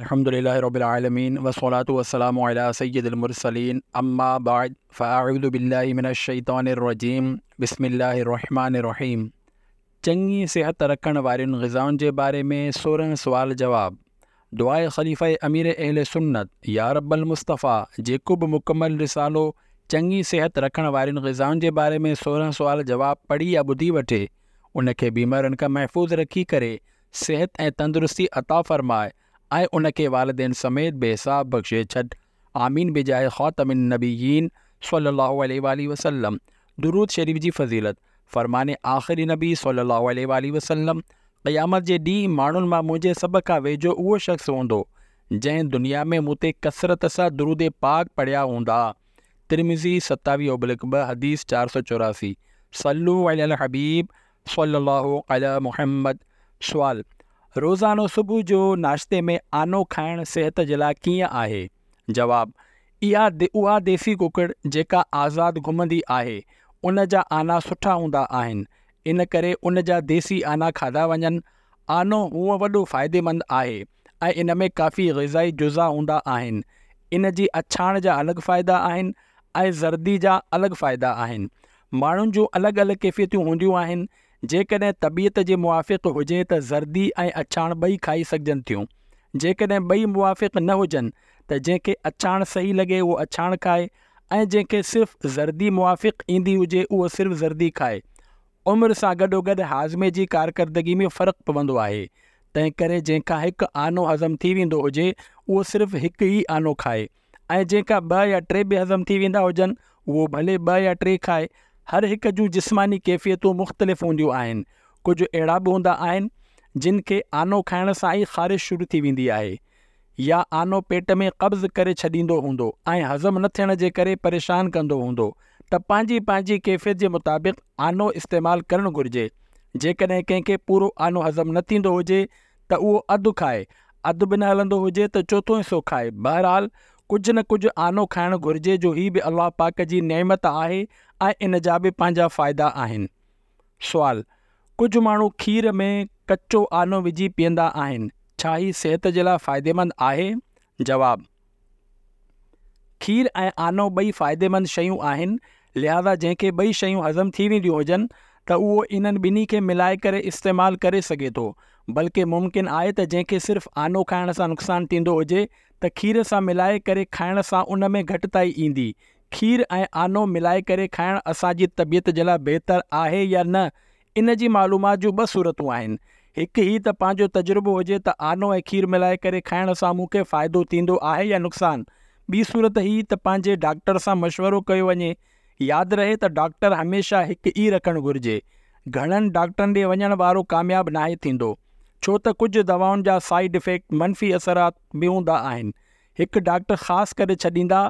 الحمد لله رب العالمين والصلاة والسلام على سيد المرسلين اما بعد فاعوذ بالله من الشيطان الرجيم بسم الله الرحمن الرحيم چڱي صحت رکڻ وارين غذائن جي باري ۾ 16 سوال جواب دعاء خليفه امير اهل سنت يا رب المصطفيٰ جيڪو به مڪمل رسالو چڱي صحت رکڻ وارين غذائن جي باري ۾ 16 سوال جواب پڙهي يا ٻڌي وٺي ان کي بيمارين کان محفوظ رکي ڪري صحت ۽ تندرستي عطا فرماء ۽ ان کي والدين سميت بي حساب بخشي ڇڏ آمين بجاه خاتم النبيين صلي الله عليه واٰله وسلم درود شريف جي فضيلت، فرمان آخري نبي صلي الله عليه واٰله وسلم، قيامت جي ڏينهن ماڻهن مان منهنجي سڀ کان ويجهو اهو شخص هوندو جنهن دنيا ۾ مون تي ڪثرت سان درود پاڪ پڙهيا هوندا. ترمذي 27 اوبلڪ 2 حديث 484 صلو علي الحبيب صلي الله علي محمد سوال، روزانو صبح جو ناشتي ۾ آنو کائڻ صحت جي لاء ڪيئن آهي؟ جواب، اها اها ديسي ڪڪڙ جيڪا آزاد گهمندي آهي ان جا آنا سٺا هوندا آهن ان ڪري ان جا ديسي آنا کاڌا وڃن. آنو هونء وڏو فائديمند آهي ۽ ان ۾ ڪافي غذائي جزا هوندا آهن. ان جي اڇاڻ جا الڳ فائدا آهن ۽ زردي جا الڳ فائدا آهن. ماڻهن جون الڳ الڳ ڪيفيتون هونديون آهن، جيڪڏهن طبيعت جي موافق هجي ته زردي ۽ اڇاڻ ٻئي کائي سگهجن ٿيون، جيڪڏهن ٻئي موافق نه هجن ته جنهن کي اڇاڻ صحيح لڳي اهو اڇاڻ کائي ۽ جنهن کي صرف زردي موافق ايندي هجي اهو صرف زردي کائي. عمر سان گڏوگڏ هاضمي جي ڪارڪردگي ۾ فرق پوندو آهي، تنهنڪري جنهن کان هڪ آنو هضم ٿي ويندو هجي اهو صرف هڪ ئي آنو کائي. ۽ جنهن کان ٻه يا ٽي به هضم ٿي ويندا هجن اهو ڀلي ٻه يا ٽي کائي. هر هڪ جون جسماني ڪيفيتون مختلف هونديون آهن. ڪجهه اهڙا به هوندا آهن جن کي آنو کائڻ سان ئي خارش شروع ٿي ويندي آهي يا آنو پيٽ ۾ قبض ڪري ڇڏيندو هوندو ۽ هضم نه ٿيڻ جي ڪري پريشان ڪندو هوندو ته پنهنجي پنهنجي ڪيفيت جي مطابق آنو استعمال ڪرڻ گهرجي. جيڪڏهن ڪنهن کي پورو آنو هضم نه ٿيندو هجي ته اهو اڌ کائي، اڌ به نه هلندو هجي ته چوٿون حصو کائي، بهرحال ڪجهه نه ڪجهه آنو کائڻ گهرجي جو هي به الله پاڪ جي نعمت آهي ۽ ان جا به پنهنجا فائدا آهن. سوال، ڪجهه ماڻهو کير ۾ ڪچو آنو وجهي پيئندا آهن، ڇا هي صحت جي لاء فائديمند آهي؟ جواب. کير ۽ آنو ٻئي فائديمند شيون آهن، لهذا جنهن کي ٻئي شيون هضم ٿي وينديون هجن ته اهو انهن ٻنهي کي ملائي ڪري استعمال ڪري سگهي ٿو، بلڪه ممڪن آهي ته جنهن کي صرف آنو کائڻ سان نقصان ٿيندو هجي ته کير سان ملائي ڪري کائڻ سان ان ۾ گهٽتائي ايندي. کير ۽ آنو ملائي ڪري کائڻ اسان جي طبيعت جي لاء بهتر آهي يا نه ان جي معلومات جون ٻه صورتون آهن. هڪ هي ته پنهنجو تجربو هجي ته آنو ۽ کير ملائي ڪري کائڻ سان مون کي فائدو ٿيندو آهي يا نقصان. ٻي صورت هي ته پنهنجي ڊاڪٽر سان مشورو ڪيو وڃي. ياد رهي ته ڊاڪٽر هميشه هڪ ئي رکڻ گهرجي. گهڻن ڊاڪٽرن ڏي وڃڻ وارو ڪامياب ناهي ٿيندو. ڇو ته ڪجهه دوائن جا سائيڊ افيڪٽ، منفي اثرات، به هوندا آهن. هڪ ڊاڪٽر خاص ڪري ڇڏيندا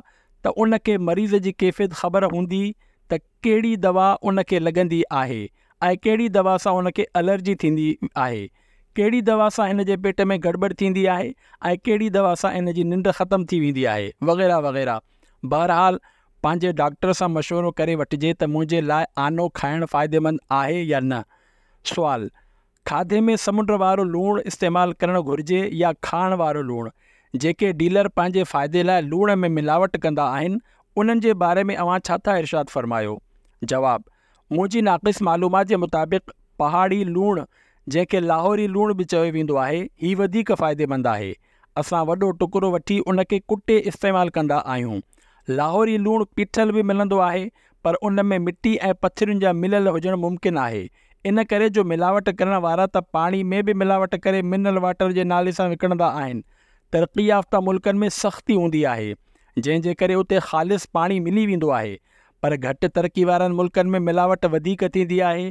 ته ان کي مريض جي ڪيفيت خبر هوندي ته ڪهڙي دوا ان کي لڳندي آهي ۽ ڪهڙي دوا سان ان کي الرجي ٿيندي آهي، ڪهڙي دوا سان هن جي پيٽ ۾ گڙٻڙ ٿيندي آهي ۽ ڪهڙي دوا سان هن جي ننڊ ختم ٿي ويندي آهي وغيره وغيره. بهرحال پنهنجي ڊاڪٽر سان مشورو ڪري وٺجي ته منهنجي لاء آنو کائڻ فائديمند آهي يا نه. سوال، کاڌي ۾ سمنڊ وارو لوڻ استعمال ڪرڻ گهرجي يا کاڻ وارو لوڻ؟ جيڪي ڊيلر پنهنجي فائدي لاء لوڻ ۾ ملاوٽ ڪندا آهن، انهن جي باري ۾ اوهان ڇا ٿا ارشاد فرمايو؟ جواب، منهنجي ناقص معلومات جي مطابق پهاڙي لوڻ جنهن کي لاهوري لوڻ به چيو ويندو آهي، هي وڌيڪ فائديمند آهي. اسان وڏو ٽڪرو وٺي ان کي ڪٽي استعمال ڪندا آهيون. لاهوري لوڻ پيٺل به ملندو آهي پر ان ۾ مٽي ۽ پٿرين جا مليل هجڻ ممڪن آهي. ان ڪري جو ملاوٽ ڪرڻ وارا ته پاڻي ۾ به ملاوٽ ڪري منرل واٽر جي نالي سان وڪڻندا آهن. ترقي يافته ملڪن ۾ سختي هوندي آهي جنهن جي ڪري اتي خالص پاڻي ملي ويندو آهي پر گهٽ ترقي وارن ملڪن ۾ ملاوٽ وڌيڪ ٿيندي آهي.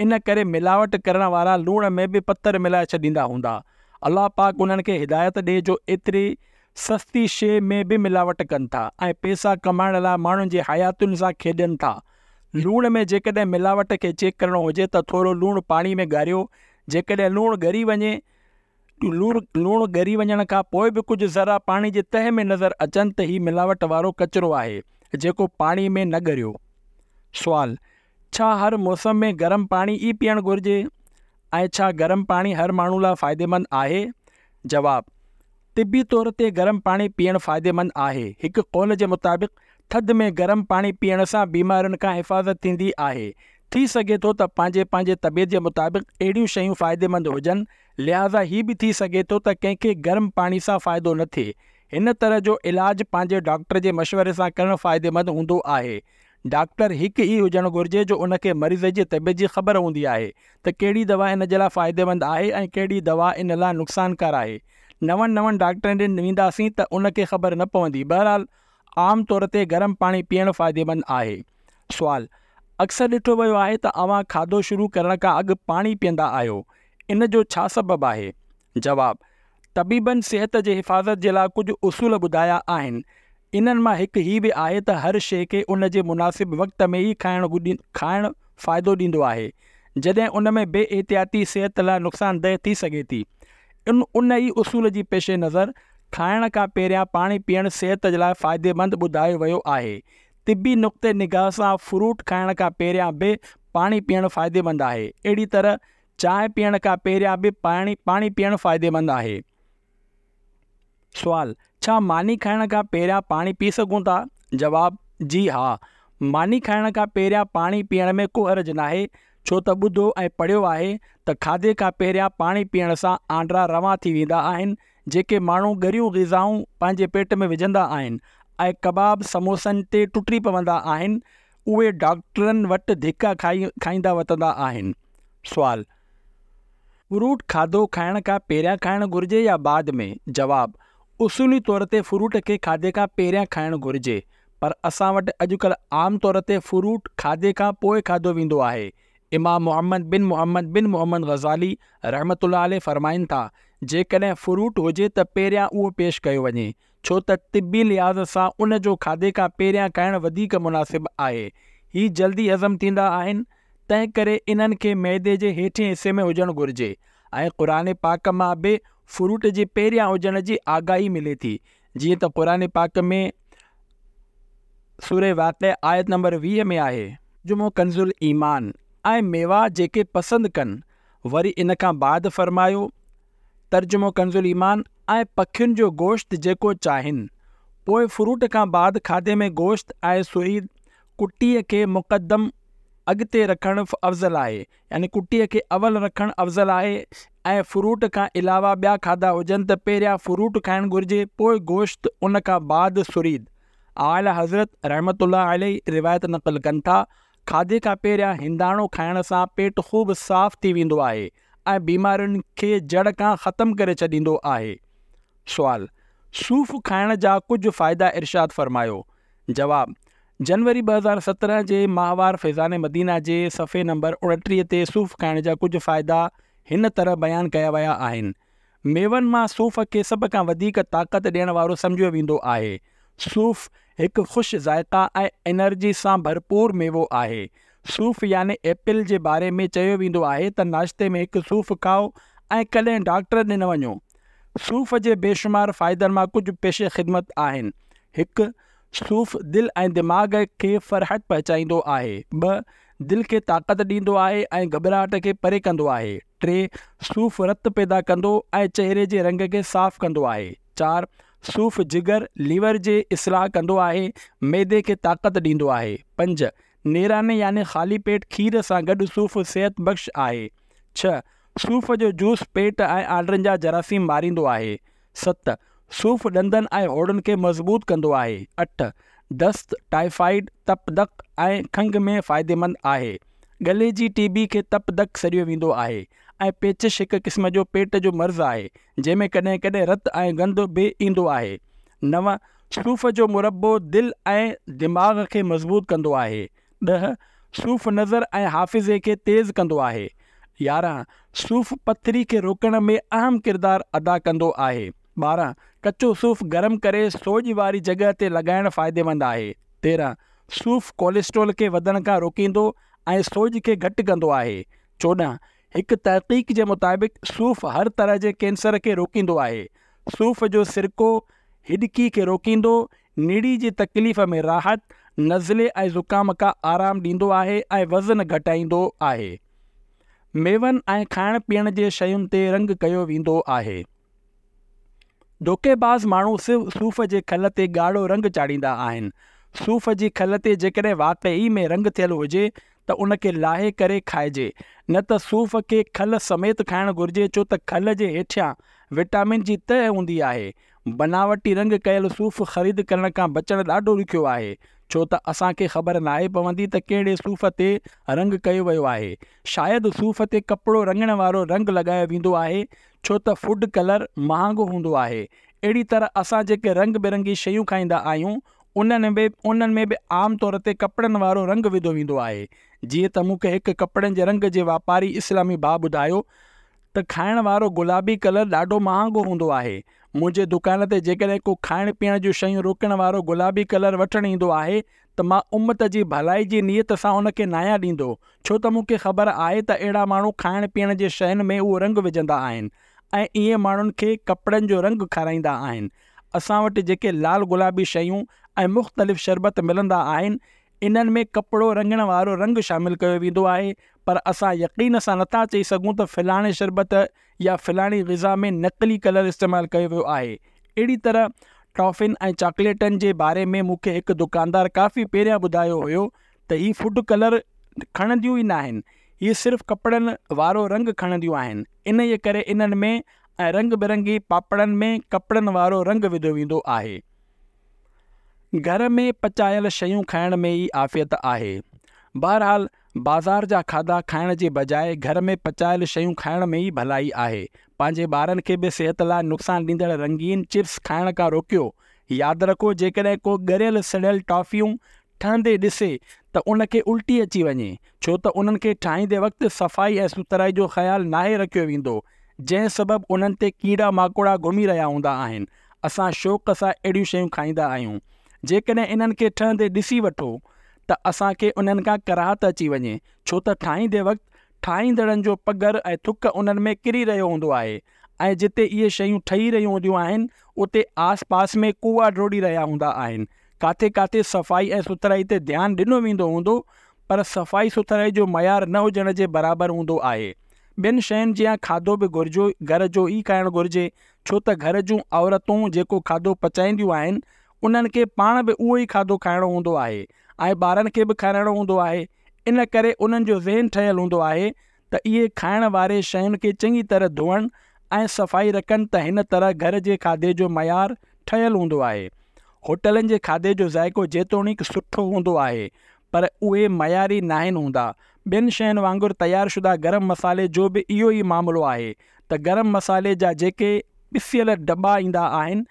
ان ڪري ملاوٽ ڪرڻ وارا لوڻ ۾ به پٿر ملائي ڇڏيندا هوندا. الله پاڪ انهن کي هدايت ڏي جو ايتري سستي شيء ۾ به ملاوٽ ڪن ٿا ۽ پئسا ڪمائڻ لاء ماڻهن جي حياتين سان کيڏن ٿا. لوڻ ۾ جيڪڏهن ملاوٽ کي چيڪ ڪرڻو هجي ته ٿورو لوڻ پاڻي ۾ ڳاريو، جيڪڏهن لوڻ ڳري وڃي لوڻ ڳري وڃڻ کان پوء به ڪجهه ذرا پاڻي جي تهه ۾ نظر اچن ته هي ملاوٽ وارو ڪچرو آهي جيڪو پاڻي ۾ نه ڳريو. سوال، ڇا هر موسم ۾ گرم پاڻي ئي پيئڻ گهرجي ۽ ڇا گرم پاڻي هر ماڻهو لاء فائديمند آهي؟ جواب، طبي طور تي گرم پاڻي پيئڻ فائديمند آهي. هڪ قول جي مطابق ٿڌ ۾ گرم پاڻي پيئڻ سان بيمارين کان حفاظت ٿيندي آهي. ٿي سگهي ٿو ته پنهنجي پنهنجي طبيعت جي مطابق اهڙيون شيون فائديمند هجن، لهٰذا هي به ٿي سگهي ٿو ته ڪنهن کي گرم پاڻي سان فائدو نه ٿئي. هن طرح جو علاج پنهنجي ڊاڪٽر جي مشوري سان ڪرڻ فائديمند هوندو آهي. ڊاڪٽر هڪ ئي هجڻ گهرجي جو ان کي مريض جي طبيعت جي خبر هوندي آهي ته ڪهڙي دوا ان جي لاء فائديمند آهي ۽ ڪهڙي دوا ان لاء نقصانڪار آهي. نون نون ڊاڪٽرن ڏي وينداسين ته ان کي خبر نه پوندي. بهرحال عام طور تي گرم پاڻي پيئڻ فائديمند آهي. سوال، اڪثر ڏٺو ويو آهي ته اوهان کاڌو شروع ڪرڻ کان اڳ پاڻي پيئندا آهيو، ان جو ڇا سبب آهي؟ جواب، طبيبن صحت جي حفاظت جي لاء ڪجهه اصول ٻڌايا آهن. انهن مان هڪ هي به آهي ته هر شيء کي ان جي مناسب وقت ۾ ئي کائڻ کائڻ فائدو ڏيندو آهي. جڏهن ان ۾ بي احتياطي صحت لاء نقصان ده ٿي سگهي ٿي. ان ان ئي اصول جي پيش نظر کائڻ کان پهريان پاڻي پيئڻ صحت جي لاء فائديمند ٻڌايو ويو آهي. طبي نقطي نگاهه سان فروٽ کائڻ کان پهريان به پاڻي پيئڻ فائديمند آهي. اهڙي طرح چانهه پيئڻ کان پهريان به پاڻي پاڻي پيئڻ فائديمند آهي. سوال، ڇا ماني کائڻ کان پهريان پاڻي پي سگهون ٿا؟ جواب، جي ها، ماني کائڻ کان پهريان پاڻي پيئڻ ۾ ڪو حرج ناهي، ڇو ته ٻڌو ۽ پڙهيو آهي ته کاڌي کان پهريان پاڻي پيئڻ سان آنڊرا روان ٿي ويندا آهن، جيڪي ماڻهو ڳريون غذائون پنهنجي پيٽ ۾ وجهندا آهن ۽ ڪباب سموسن تي ٽٽي پوندا آهن، اهي ڊاڪٽرن وٽ ڌڪا کائيندا وتندا آهن. سوال، فروٽ کاڌو کائڻ کان پهريان کائڻ گهرجي يا بعد ۾؟ جواب، اصولي طور تي فروٽ کي کاڌي کان پهريان کائڻ گهرجي، پر اسان وٽ اڄڪلهه عام طور تي فروٽ کاڌي کان پوء کاڌو ويندو آهي. امام محمد بن محمد بن محمد غزالي رحمة الله عليه فرمائن ٿا، جيڪڏهن فروٽ هجي ته پهريان اهو پيش ڪيو وڃي، ڇو ته طبي لحاظ سان ان جو کاڌي کان پهريان کائڻ وڌيڪ مناسب آهي. هي جلدي هضم ٿيندا آهن، تنهن ڪري انهن کي معدي جي هيٺين حصي ۾ هجڻ گهرجي ۽ قرآن پاڪ مان به فروٽ جي پهريان هجڻ جي آگاهي ملي ٿي، جيئن ته قرآن پاڪ ۾ سوره واقعه آيت نمبر 20 ۾ آهي. ترجمو ڪنزالايمان، ۽ ميوا جيڪي پسند ڪن، وري ان کان بعد فرمايو. ترجمو ڪنزالايمان، ۽ پکين جو گوشت جيڪو چاهين. پوء فروٽ کان بعد کاڌي ۾ گوشت ۽ سريد، ڪٽيء، کي مقدم، اڳتي، رکڻ افضل آهي، يعني ڪٽيء کي اول رکڻ افضل آهي ۽ فروٽ کان علاوه ٻيا کاڌا هجن ته پهريان فروٽ کائڻ گهرجي پوء گوشت ان کان بعد سريد. اعليٰ حضرت رحمة الله عليه روايت نقل ڪن ٿا، کاڌي کان پهريان هنداڻو کائڻ سان پيٽ خوب صاف ٿي ويندو آهي ۽ بيمارين کي جڙ کان ختم ڪري ڇڏيندو آهي. سوال، صوف کائڻ جا ڪجهه فائدا ارشاد فرمايو؟ جواب، جنوري 2017 جي ماهوار فيضان مدينه جي صفحي نمبر 29 تي صوف کائڻ جا ڪجهه فائدا هن طرح بيان ڪيا ويا آهن. ميون مان صوف کي سڀ کان وڌيڪ طاقت ڏيڻ وارو سمجهيو ويندو آهي. صوف هڪ خوش ذائقه ۽ انرجي سان ڀرپور ميوو آهي. صوف يعني ايپل جي باري ۾ چيو ويندو آهي ته ناشتي ۾ هڪ صوف کائو ۽ ڪڏهن ڊاڪٽر ڏي نه وڃو. صوف جي بيشمار فائدن مان ڪجهه پيش خدمت آهن. هڪ. صوف دل ۽ دماغ کي فرحت پهچائيندو آهي. ٻه. دل کي طاقت ڏيندو آهي ۽ گهٻراهٽ کي پري ڪندو آهي. ٽي. صوف رت پيدا ڪندو ۽ چهري جي رنگ کي صاف ڪندو آهي. چار. صوف جگر، ليور، جي اصلاح ڪندو آهي، معدي کي طاقت ڏيندو آهي. پنج. نيراني يعني خالي پيٽ کير سان گڏ صوف صحت بخش آهي. ڇهه. صوف جو جوس پيٽ ۽ آنڊرن جا جراثيم ماريندو آهي. ست. صوف ڏندن ۽ هوڙن کي مضبوط ڪندو آهي. اٺ. دست، ٽائيفائيڊ، تپ دق ۽ کنگهه ۾ فائديمند آهي. ڳلي جي ٽي بي کي تپ دق سڏيو ويندو آهي ۽ پيچش هڪ قسم جو پيٽ جو مرض آهي، جنهن ۾ ڪڏهن ڪڏهن رت ۽ گند به ايندو آهي. نو. صوف جو مربو دل ۽ دماغ کي مضبوط ڪندو آهي. ڏهه. صوف نظر ۽ حافظي کي تيز ڪندو آهي. 11. صوف پٿري کي روڪڻ ۾ اهم ڪردار ادا ڪندو آهي. 12. ڪچو صوف گرم ڪري سوڄ واري جڳهه تي لڳائڻ فائديمند آهي. 13. صوف ڪوليسٽرول کي وڌڻ کان روڪيندو ۽ سوڄ کي گهٽ ڪندو آهي. 14. هڪ تحقيق جي مطابق صوف هر طرح جي ڪينسر کي روڪيندو آهي. صوف جو سرڪو هڏڪي کي روڪيندو، نڙي جي تڪليف ۾ راحت، نزلي ۽ زڪام کان آرام ڏيندو آهي ۽ وزن گهٽائيندو آهي. ميون ۽ کائڻ پيئڻ جي شين تي رنگ ڪيو ويندو آهي. ڌوڪيباز ماڻهو صوف جي کل تي ڳاڙهو رنگ چاڙهيندا آهن. صوف جي کل تي جيڪڏهن واقعي ۾ رنگ ٿيل هجي ته ان کي لاهي ڪري کائجي، نه ته صوف کي کل سميت کائڻ گهرجي ڇو ته کل جي هيٺيان وٽامن جي تهه هوندي آهي. بناوٽي رنگ ڪيل صوف خريد ڪرڻ کان بچڻ ڏاڍو ڏکيو آهي، ڇو ته اسان کي خبر ناهي پوندي ته ڪهڙي صوف تي رنگ ڪيو ويو آهي. شايد صوف تي ڪپڙو رڱڻ وارو رنگ لڳايو ويندو آهي، ڇو ته فوڊ ڪلر مهانگو هوندو آهي. اهڙي طرح اسان جيڪي رنگ برنگي شيون کائيندا آهيون، انهن ۾ انهن ۾ به عام طور تي ڪپڙن وارو رنگ وڌو ويندو آهي. جيئن ته مون کي هڪ ڪپڙن جي رنگ جي واپاري اسلامي ڀاء ٻڌايو ته کائڻ وارو گلابي ڪلر ڏاڍو مهانگو هوندو آهي. منهنجي دڪان تي جيڪڏهن ڪو کائڻ پيئڻ جون شيون روڪڻ وارو گلابي ڪلر وٺڻ ايندو آهي ته مان امت جي ڀلائي جي نيت سان ان کي ناهيان ڏيندو، ڇو ته مون کي خبر آهي ته اهڙا ماڻهو کائڻ پيئڻ جي شين ۾ اهو رنگ وجهندا آهن ۽ ائين ماڻهن کي ڪپڙن جو رنگ کارائيندا آهن. اسان وٽ جيڪي لال گلابي شيون ۽ مختلف شربت ملندا آهن، انهن ۾ ڪپڙو رڱڻ وارو رنگ شامل ڪيو ويندو آهي، پر اسان يقين سان نٿا چئي سگهون ته فلاڻي شربت يا فلاڻي غذا ۾ نقلي ڪلر استعمال ڪيو ويو آهي. اهڙي طرح ٽافين ۽ چاڪليٽن جي باري ۾ مون کي هڪ دڪاندار ڪافي پهريان ٻڌايو هيو ته هي فوڊ ڪلر کڻنديون ئي ناهن، هي صرف ڪپڙن وارو رنگ کڻنديون آهن، انهيء ڪري انهن ۾ ۽ رنگ برنگي پاپڙن ۾ ڪپڙن وارو رنگ وڌو ويندو آهي. گهر ۾ پچايل شيون کائڻ ۾ ئي عافيت آهي. بهرحال بازار جا کاڌا کائڻ جي بجاء گهر ۾ پچايل شيون کائڻ ۾ ئي ڀلائي آهي. پنهنجي ٻارن کي به صحت لاء نقصان ڏيندڙ رنگين چپس کائڻ کان روڪيو. ياد رکو جيڪڏهن ڪو ڳريل سڙيل ٽافيون ٺهندي ڏسي ته ان کي الٽي اچي وڃي، ڇو ته انهن کي ٺاهيندي وقت صفائي ۽ سٿرائي جو خيال ناهي رکيو ويندو، جنهن سبب انهن تي ڪيڙا ماڪوڙا گهمي رهيا هوندا آهن. اسان شوق سان اهڙيون شيون کائيندا آهيون. جيڪڏهن انهن کي ٺهندي ڏسي وٺو ته اسان کي انهن کان ڪراهت اچي وڃي، ڇو ته ٺاهيندي وقت ٺاهيندڙن جو پگهر ۽ ٿڪ انهن ۾ ڪري رهيو هوندو آهي ۽ جتي اهي شيون ٺهي رهيون هونديون آهن، اتي آس پاس ۾ ڪوئا ڊوڙي رهيا هوندا آهن. ڪاٿي ڪاٿي صفائي ۽ سٿرائي تي ڌيان ڏنو ويندو هوندو، پر صفائي سٿرائي جو معيار نه هجڻ جي برابر هوندو آهي. ٻين شين جيان کاڌو به گهرجو گهر جو ئي کائڻ گهرجي، ڇو ته گهر جون عورتون جيڪو کاڌو پچائينديون آهن، انهن کي پاڻ به اهو ئي کاڌو کائڻو هوندو آهي ۽ ٻارن کي به کارائڻو هوندو آهي، ان ڪري انهن جو ذهن ٺهيل هوندو آهي ته اهي کائڻ واري شين کي چڱي طرح ڌوئن ۽ صفائي رکن ته هن طرح گهر جي کاڌي جو معيار ٺهيل هوندو آهي. هوٽلن جي کاڌي جو ذائقو جيتوڻيڪ سٺو هوندو آهي پر اهي معياري ناهن هوندا. ٻين شين وانگر تيار شده گرم مصالحي جو به اهو ئي معاملو آهي ته گرم مصالحي جا جيڪي پسيل دٻا ايندا آهن،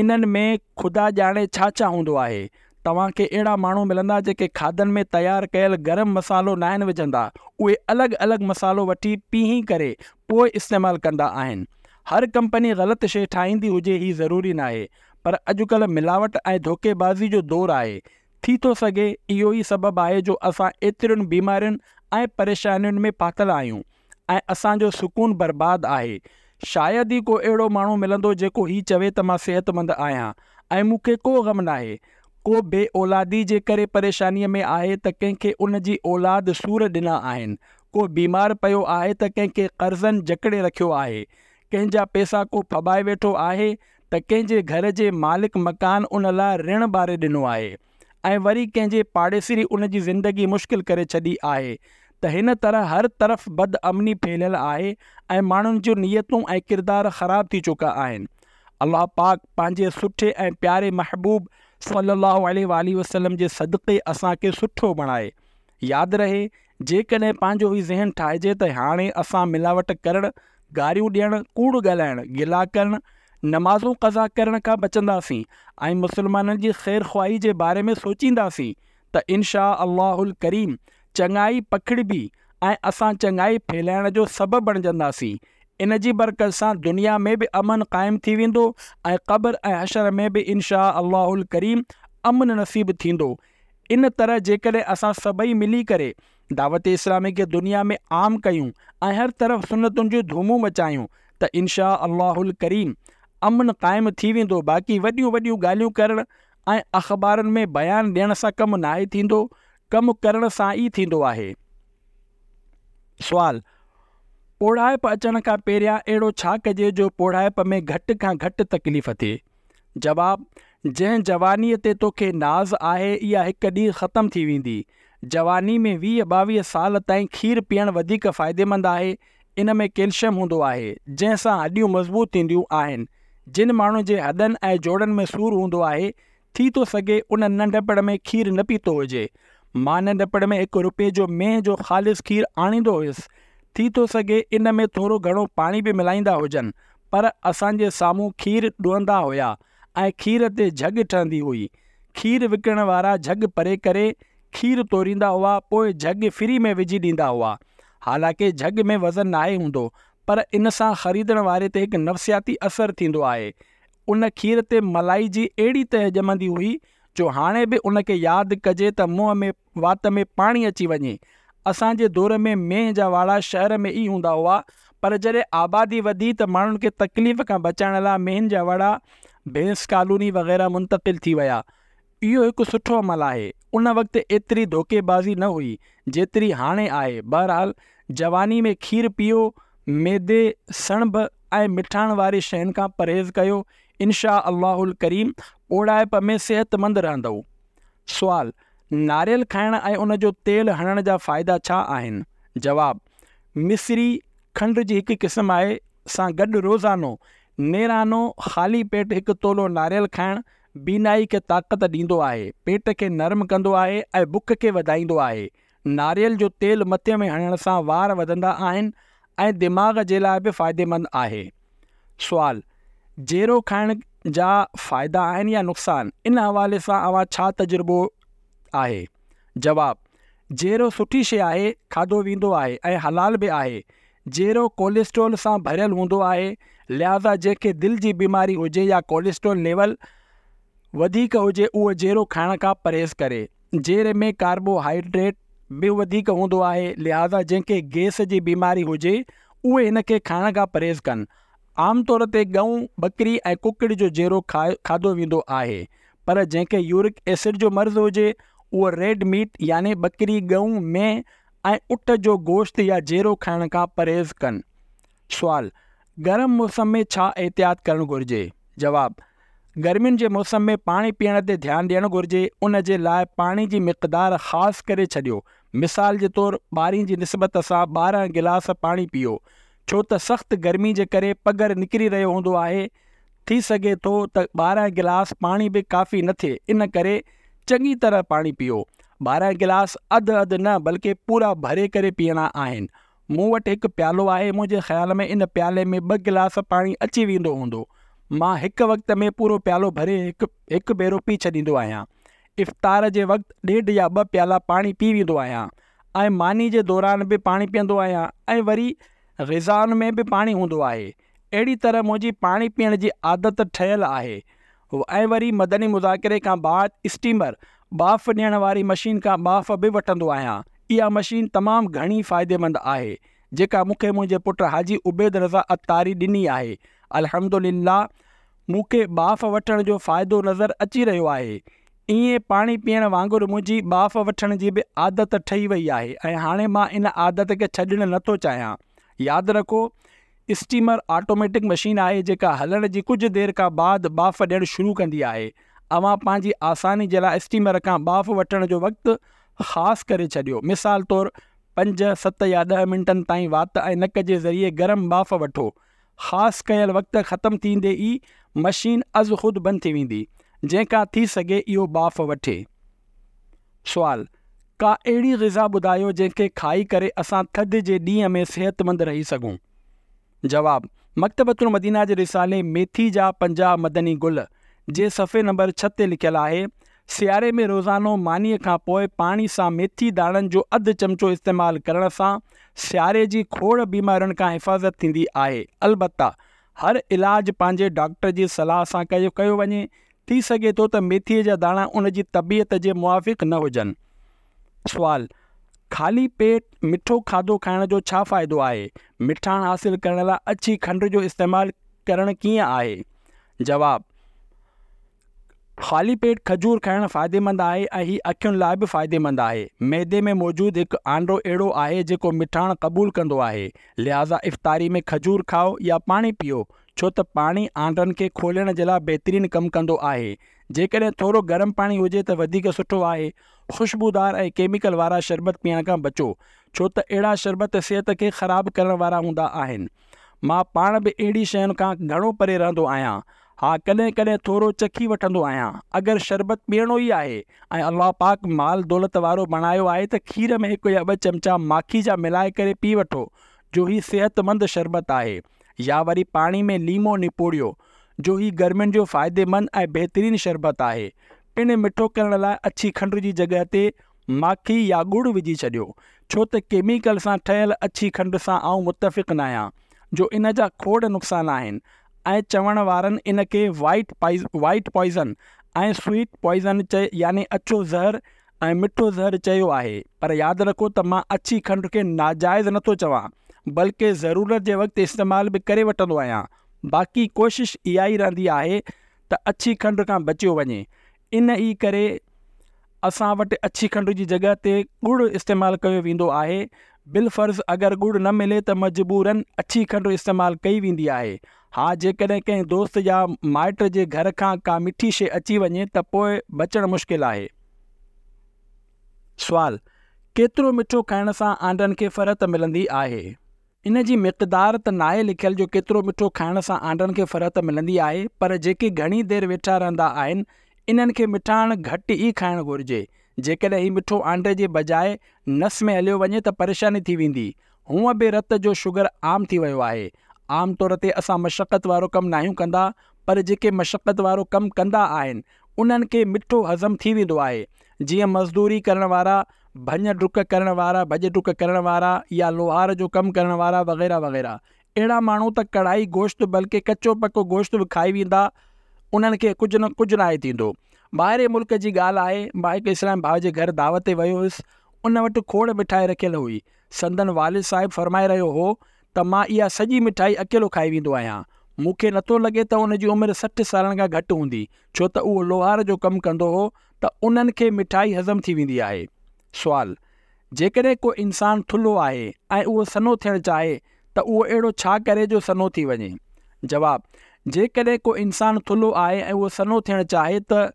انهن ۾ خدا ڄاڻي ڇا ڇا هوندو آهي. توهان کي اهڙا ماڻهو ملندا جيڪي کاڌن ۾ تيار ڪيل گرم مصالحو ناهن وجهندا، اهي الڳ الڳ مصالحو وٺي پيهي ڪري پوء استعمال ڪندا آهن. هر ڪمپني غلط شيء ٺاهيندي هجي هي ضروري ناهي، پر اڄڪلهه ملاوٽ ۽ ڌوڪيبازي جو دور آهي، ٿي ٿو سگهي اهو ئي سبب آهي جو اسان ايترين بيمارين ۽ پريشانين ۾ ڦاٿل آهيون. ۽ اسان جو سڪون برباد آهي. شايد ئي ڪو اهڙو ماڻهو ملندو جيڪو هي چوي ته مان صحتمند آهيان ۽ مون کي ڪو غم ناهي. ڪو بي اولادي جي ڪري پريشانيء ۾ آهي ته ڪنهن کي ان جي اولاد سور ڏنا آهن. ڪو بيمار پيو آهي ته ڪنهن کي قرضن جڪڙي رکيو آهي. ڪنهن جا پئسا ڪو ڦٻائي ويٺو آهي ته ڪنهن جي گهر جي مالڪ مڪان ان لاء رڻ ٻاري ڏنو آهي. ۽ وري ڪنهن جي پاڙيسري ان جي زندگي مشڪل ڪري ڇڏي آهي ته هن طرح هر طرف بد امني ڦهليل آهي ۽ ماڻهن جون نيتون ۽ ڪردار خراب ٿي چڪا آهن. الله پاڪ پنهنجي سٺي ۽ پياري محبوب صلي الله عليه واٰله وسلم جي صدقي اسان کي سٺو بڻائي. ياد رهي جيڪڏهن پنهنجو هي ذهن ٺاهجي ته هاڻي اسان ملاوٽ ڪرڻ، گاريون ڏيڻ، ڪوڙ ڳالهائڻ، گلا ڪرڻ، نمازون قضا ڪرڻ کان بچنداسين ۽ مسلمانن جي خير خواهي جي باري ۾ سوچينداسين ته ان شآء الله الڪريم چڱائي پکڙبي ۽ اسان چڱائي ڦهلائڻ جو سبب بڻجنداسين. ان جي برڪت سان دنيا ۾ به امن قائم ٿي ويندو ۽ قبر ۽ حشر ۾ به ان شآء الله الڪريم امن نصيب ٿيندو. ان طرح جيڪڏهن اسان سڀئي ملي ڪري دعوت اسلامي کي دنيا ۾ عام ڪيون ۽ هر طرف سنتن جون ڌومون مچايون ته ان شآء الله الڪريم امن قائم ٿي ويندو باقي وڏيون وڏيون ڳالهيون ڪرڻ ۽ اخبارن ۾ بيان ڏيڻ سان ڪم ناهي ٿيندو ڪم ڪرڻ سان ئي ٿيندو آهي. سوال. پوڙهائپ اچڻ کان پهريان اهڙو ڇا ڪجي جو پوڙهائپ ۾ گهٽ کان گهٽ تڪليف ٿئي؟ جواب، جنهن جوانيء تي توکي ناز آهي اها هڪ ڏينهن ختم ٿي ويندي. جواني ۾ 20 22 سال تائين کير پيئڻ وڌيڪ فائديمند آهي، ان ۾ ڪيلشم هوندو آهي، جنهن سان هڏيون مضبوط ٿينديون آهن. جن ماڻهن جي هڏن ۽ جوڙن ۾ سور هوندو آهي، ٿي ٿو سگهي ان ننڍپڻ ۾ کير نه پيتو هجي. مان ننڍپڻ ۾ هڪ روپئي جو مينهن جو خالص کير آڻيندو هيس. ٿي ٿو سگهي ان ۾ ٿورو گهڻو پاڻي به ملائيندا هجن، پر اسان جي سامهون کير ڏهندا هيا ۽ کير تي جهڳ ٺهندي هئي. کير وڪڻڻ وارا جهڳ پري ڪري کير توريندا هئا، پوء جهڳ ڦري ۾ وجهي ڏيندا هئا. حالانڪه جهڳ ۾ وزن ناهي هوندو، پر ان سان خريدڻ واري تي هڪ نفسياتي اثر ٿيندو آهي. ان کير تي ملائي جي اهڙي تهه ڄمندي هئي جو هاڻي به ان کي ياد ڪجي ته منهن ۾ وات ۾ پاڻي اچي وڃي. اسان جي دور ۾ مينهن جا واڙا شهر ۾ ئي هوندا هئا پر جڏهن آبادي وڌي ته ماڻهن کي تڪليف کان بچائڻ لاء مينهن جا واڙا ڀينس ڪالوني وغيره منتقل ٿي ويا. اهو هڪ سٺو عمل آهي. ان وقت ايتري ڌوڪي بازي نه هئي جيتري هاڻي آهي. بهرحال جواني ۾ کير پيئو، ميدي، سڻڀ ۽ مٺاڻ واري شين کان پرهيز ڪيو، انشاء الله الڪريم پوڙهائپ ۾ صحتمند رهندؤ. سوال، ناريل کائڻ ۽ ان جو تيل هڻڻ جا فائدا ڇا آهن؟ جواب، مصري، کنڊ جي هڪ قسم آهي، سان گڏ روزانو نيرانو خالي پيٽ هڪ تولو ناريل کائڻ بينائي کي طاقت ڏيندو آهي، پيٽ کي نرم ڪندو آهي ۽ بک کي وڌائيندو آهي. ناريل جو تيل مٿي ۾ هڻڻ سان وار وڌندا آهن ۽ دماغ جي لاء به فائديمند آهي. سوال، جيرو کائڻ جا فائدا آهن يا نقصان؟ ان حوالي سان اوهان ڇا تجربو آهي؟ جواب، جيرو سٺي شيء آهي، کاڌو ويندو آهي ۽ حلال به آهي. جيرو ڪوليسٽرول سان ڀريل هوندو آهي، لهٰذا جنهن کي دل جي بيماري هجي يا ڪوليسٽرول ليول وڌيڪ هجي اهو جيرو کائڻ کان پرهيز ڪري. جيري ۾ ڪاربو هائيڊريٽ به وڌيڪ هوندو آهي، لهٰذا جنهن کي گئس جي بيماري هجي اهي هن کي کائڻ کان پرهيز ڪن. عام طور تي ڳئون، ٻڪري ۽ ڪڪڙ جو جيرو کاڌو ويندو آهي، پر جنهن کي يورڪ ايسڊ جو مرض هجي اهو ريڊ ميٽ يعني ٻڪري، ڳئون، مينهن ۽ اٺ جو گوشت يا جيرو کائڻ کان پرهيز ڪن. سوال، گرم موسم ۾ ڇا احتياط ڪرڻ گهرجي؟ جواب، گرمين جي موسم ۾ پاڻي پيئڻ تي ڌيان ڏيڻ گهرجي، ان جي لاء پاڻي جي مقدار خاص ڪري ڇڏيو، مثال جي طور ٻارهين جي نسبت سان 12 گلاس پاڻي پيئو، ڇو ته سخت گرمي جي ڪري پگهر نڪري رهيو هوندو آهي، ٿي سگهي ٿو ته 12 گلاس پاڻي به ڪافي نه ٿئي، ان ڪري چڱي طرح پاڻي پيئو، 12 گلاس اڌ اڌ نه بلڪه پورا ڀري ڪري پيئڻا آهن، مون وٽ هڪ پيالو آهي، منهنجي خيال ۾ ان پيالي ۾ ٻه گلاس پاڻي اچي ويندو هوندو. مان هڪ وقت ۾ پورو پيالو ڀري هڪ هڪ ڀيرو پي ڇڏيندو آهيان. افطار جي وقت ڏيڍ يا ٻه پيالا پاڻي پي ويندو آهيان ۽ ماني جي دوران به پاڻي پيئندو آهيان ۽ وري غذائن ۾ به پاڻي هوندو آهي. اهڙي طرح منهنجي پاڻي پيئڻ جي عادت ٺهيل آهي ۽ وري مدني مذاڪري کان بعد اسٽيمر، ٻاڦ ڏيڻ واري مشين، کان ٻاڦ به وٺندو آهيان. اها مشين تمام گهڻي فائديمند آهي، جيڪا مون کي منهنجي پٽ حاجي عبيد رضا عطاري ڏني آهي. الحمدلله مون کي ٻاڦ وٺڻ جو فائدو نظر اچي رهيو آهي. ائين پاڻي پيئڻ وانگر منهنجي ٻاڦ وٺڻ جي به عادت ٺهي وئي آهي ۽ هاڻي مان ان عادت کي ڇڏڻ نٿو چاهيان. ياد رکو! اسٽيمر آٽوميٽڪ مشين آهي جيڪا هلڻ جي ڪجهه دير کان بعد ٻاڦ ڏيڻ شروع ڪندي آهي. اوهان پنهنجي آساني جي لاء اسٽيمر کان ٻاڦ وٺڻ جو وقت خاص ڪري ڇڏيو. مثال طور پنج، ست يا 10 منٽن تائين وات ۽ نڪ جي ذريعي گرم ٻاڦ وٺو. خاص ڪيل وقت ختم ٿيندي ئي مشين ازخود بند ٿي ويندي، جنهن کان ٿي سگهي اهو ٻاڦ وٺي. سوال، ڪا اهڙي غذا ٻڌايو جنهن کي کائي ڪري اسان ٿڌ جي ڏينهن ۾ صحتمند رهي سگهون؟ جواب، مڪتبة المدينه جي رسالي ميٿي جا 50 مدني گل جي صفحي نمبر 6 تي لکيل آهي، سياري ۾ روزانو مانيء کان پوء پاڻي سان ميٿي داڻن جو اڌ چمچو استعمال ڪرڻ سان سياري جي کوڙ بيمارين کان حفاظت ٿيندي آهي البته هر علاج پنهنجي ڊاڪٽر جي صلاح سان ڪيو وڃي ٿي سگهي ٿو ته ميٿيء جا داڻا ان جي طبيعت جي موافق نه هجن. سوال، خالي پيٽ مٺو کاڌو کائڻ جو ڇا فائدو آهي؟ مٺاڻ حاصل ڪرڻ لاء اڇي کنڊ جو استعمال ڪرڻ ڪيئن آهي؟ جواب، خالي پيٽ کجور کائڻ فائديمند آهي ۽ هي اکين لاء به فائديمند آهي. معدي ۾ موجود هڪ آنڊو اهڙو آهي جيڪو مٺاڻ قبول ڪندو آهي. لهٰذا افطاري ۾ کجور کائو يا پاڻي پيئو ڇو ته پاڻي آنڊن کي کولڻ جي لاء بهترين ڪم ڪندو آهي. جيڪڏهن ٿورو گرم پاڻي هجي ته وڌيڪ سٺو آهي. خوشبودار ۽ ڪيميڪل وارا شربت پيئڻ کان بچو ڇو ته اهڙا شربت صحت کي خراب ڪرڻ وارا هوندا آهن. مان پاڻ به اهڙي شين کان گهڻو پري رهندو آهيان. ها ڪڏهن ڪڏهن ٿورو چکي وٺندو آهيان. اگر شربت پيئڻو ئي آهي ۽ الله پاڪ مال دولت وارو بڻايو آهي ته کير ۾ هڪ يا ٻه چمچا ماکي جا ملائي ڪري پي وٺو جو هي صحت مند شربت آهي. يا وري پاڻي ۾ ليمو نپوڙيو جو هي گرمين جو فائديمند ۽ بهترين شربت آهي. پڻ مٺو ڪرڻ لاء اڇي کنڊ جي جڳهه تي ماکي يا ڳڙ وجهي ڇڏيو، ڇو ته ڪيميڪل سان ٺهيل اڇي کنڊ سان آئون متفق ناهيان، جو ان جا کوڙ نقصان آهن ۽ چوڻ وارن ان کي white White Poison ۽ sweet Poison چئي يعني اڇو زهر ۽ مٺو زهر چيو آهي، پر ياد رکو ته مان اڇي کنڊ کي ناجائز نٿو چوان، بلڪه ضرورت جي وقت استعمال به ڪري وٺندو آهيان، باقي ڪوشش اها ئي رهندي آهي ته اڇي کنڊ کان بچيو وڃي، ان ئي ڪري اسان وٽ اڇي کنڊ جي جڳهه تي ڳڙ استعمال ڪيو ويندو آهي. بالفرض اگر ڳڙ نه ملي ته مجبوراً اڇي کنڊ استعمال ڪئي ويندي آهي. ها جيڪڏهن ڪنهن دوست يا مائٽ جي گهر کان ڪا مٺي شيء اچي وڃي ته پوء بچڻ مشڪل آهي. سوال، ڪيترو مٺو کائڻ سان آنڊن کي فرحت ملندي آهي؟ ان جي مقدار ته ناهي لکيل جو ڪيترو مٺو کائڻ سان آنڊن کي فرحت ملندي آهي پر جيڪي گهڻي دير ويٺا رهندا آهن انهن کي مٺاڻ گهٽ ئي کائڻ گهرجي. جيڪڏهن هي مٺو آنڊي جي بجاء نس ۾ هليو وڃي ته پريشاني ٿي ويندي. هونء به رت جو شگر عام ٿي ويو آهي. عام طور تي اسان مشقت وارو ڪم ناهيون ڪندا پر جيڪي مشقت وارو ڪم ڪندا آهن انهن کي مٺو هضم ٿي ويندو آهي جيئن مزدوري ڪرڻ وارا ڀڃ ڊڪ ڪرڻ وارا، ڀڄ ڊڪ ڪرڻ وارا يا لوهار جو ڪم ڪرڻ وارا وغيره وغيره. اهڙا ماڻهو ته ڪڙهائي گوشت بلڪه ڪچو پڪو گوشت به کائي ويندا انهن کي ڪجهه نه ڪجهه ناهي ٿيندو. ٻاهرين ملڪ جي ڳالهه آهي، مان هڪ اسلامي ڀاء جي گهر دعوت تي ويو هيس، ان وٽ کوڙ مٺائي رکيل هئي. سندن والد صاحب فرمائي رهيو هو ته مان اها سڄي مٺائي اڪيلو کائي ويندو آهيان. مون کي نٿو لڳي ته ان جي عمر 60 سالن کان گهٽ هوندي، ڇو ته اهو لوهار جو ڪم ڪندو هو ته انهن کي مٺائي هضم ٿي ويندي آهي. سوال، جيڪڏهن ڪو انسان ٿلهو آهي ۽ اهو سنهو ٿيڻ چاهي ته اهو اهڙو ڇا ڪري جو سنهو ٿي وڃي؟ جواب، جيڪڏهن ڪو انسان ٿلهو آهي ۽ اهو سنهو ٿيڻ چاهي ته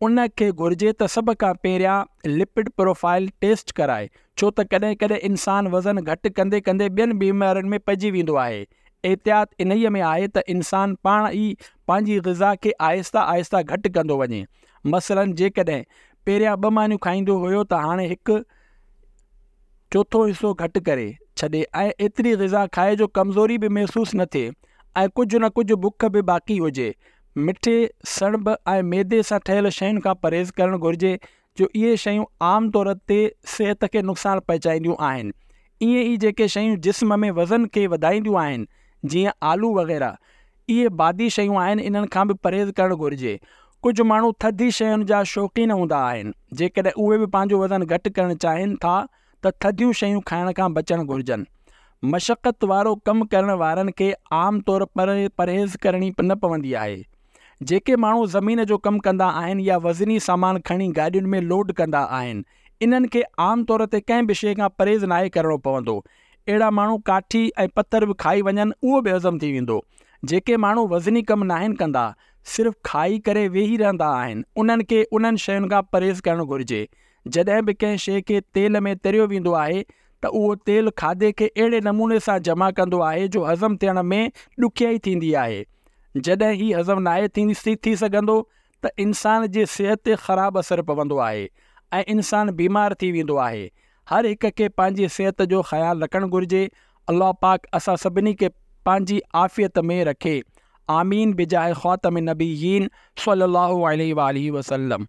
ان کي گهرجي ته سڀ کان پهريان لپڊ پروفائل ٽيسٽ ڪرائي ڇو ته ڪڏهن ڪڏهن انسان وزن گهٽ ڪندي ڪندي ٻين بيمارين ۾ پئجي ويندو آهي. احتياط انهيء ۾ آهي ته انسان پاڻ ئي پنهنجي غذا کي آهستي آهستي گهٽ ڪندو وڃي. مثلاً جيڪڏهن پهريان ٻه مانيون کائيندو هيو ته هاڻي هڪ چوٿون حصو گهٽ ڪري ڇڏي ۽ ايتري غذا کائي جو ڪمزوري به محسوس نه ٿئي ۽ ڪجهه نه ڪجهه بک به باقي هجي. مٺي، سڻڀ ۽ ميدي سان ٺهيل شين کان پرهيز ڪرڻ گهرجي جو اهي شيون عام طور تي صحت کي نقصان پهچائينديون آهن. ائين ئي جيڪي شيون جسم ۾ وزن کي وڌائينديون آهن جيئن آلو وغيره اهي بادي شيون آهن انهن کان به پرهيز ڪرڻ گهرجي. ڪجهه ماڻهو ٿڌي شين جا شوقين هوندا آهن جيڪڏهن اهي به پنهنجو وزن گهٽ ڪرڻ چاهين ٿا ته ٿڌيون شيون کائڻ کان بچڻ گهرجن. مشقت وارو ڪم ڪرڻ وارن کي عام طور پرهيز ڪرڻي نه پوندي آهي. جيڪي ماڻهو زمين جو ڪم ڪندا آهن يا وزني سامان کڻي گاڏين ۾ لوڊ ڪندا آهن انهن کي عام طور تي ڪنهن به شيء کان پرهيز ناهي ڪرڻو پوندو. اهڙا ماڻهو ڪاٺي ۽ پٿر به کائي وڃن اهو به هضم ٿي ويندو. جيڪي ماڻهو وزني ڪم ناهن ڪندا صرف کائي ڪري ويهي رهندا آهن انهن کي انهن شين کان پرهيز ڪرڻ گهرجي. جڏهن به ڪنهن شيء کي تيل ۾ تريو ويندو آهي ته اهو تيل کاڌي کي اهڙي نموني سان جمع ڪندو آهي جو هضم ٿيڻ ۾ ڏکيائي ٿيندي آهي. جڏهن هي هضم ناهي ٿي سگهندو ته انسان جي صحت تي خراب اثر پوندو آهي ۽ انسان بيمار ٿي ويندو آهي. هر هڪ کي پنهنجي صحت جو خيال رکڻ گهرجي. الله پاڪ اسان سڀني کي پنهنجي عافيت ۾ رکي. آمين بجاه خاتم النبيين صلي الله عليه واٰله وسلم.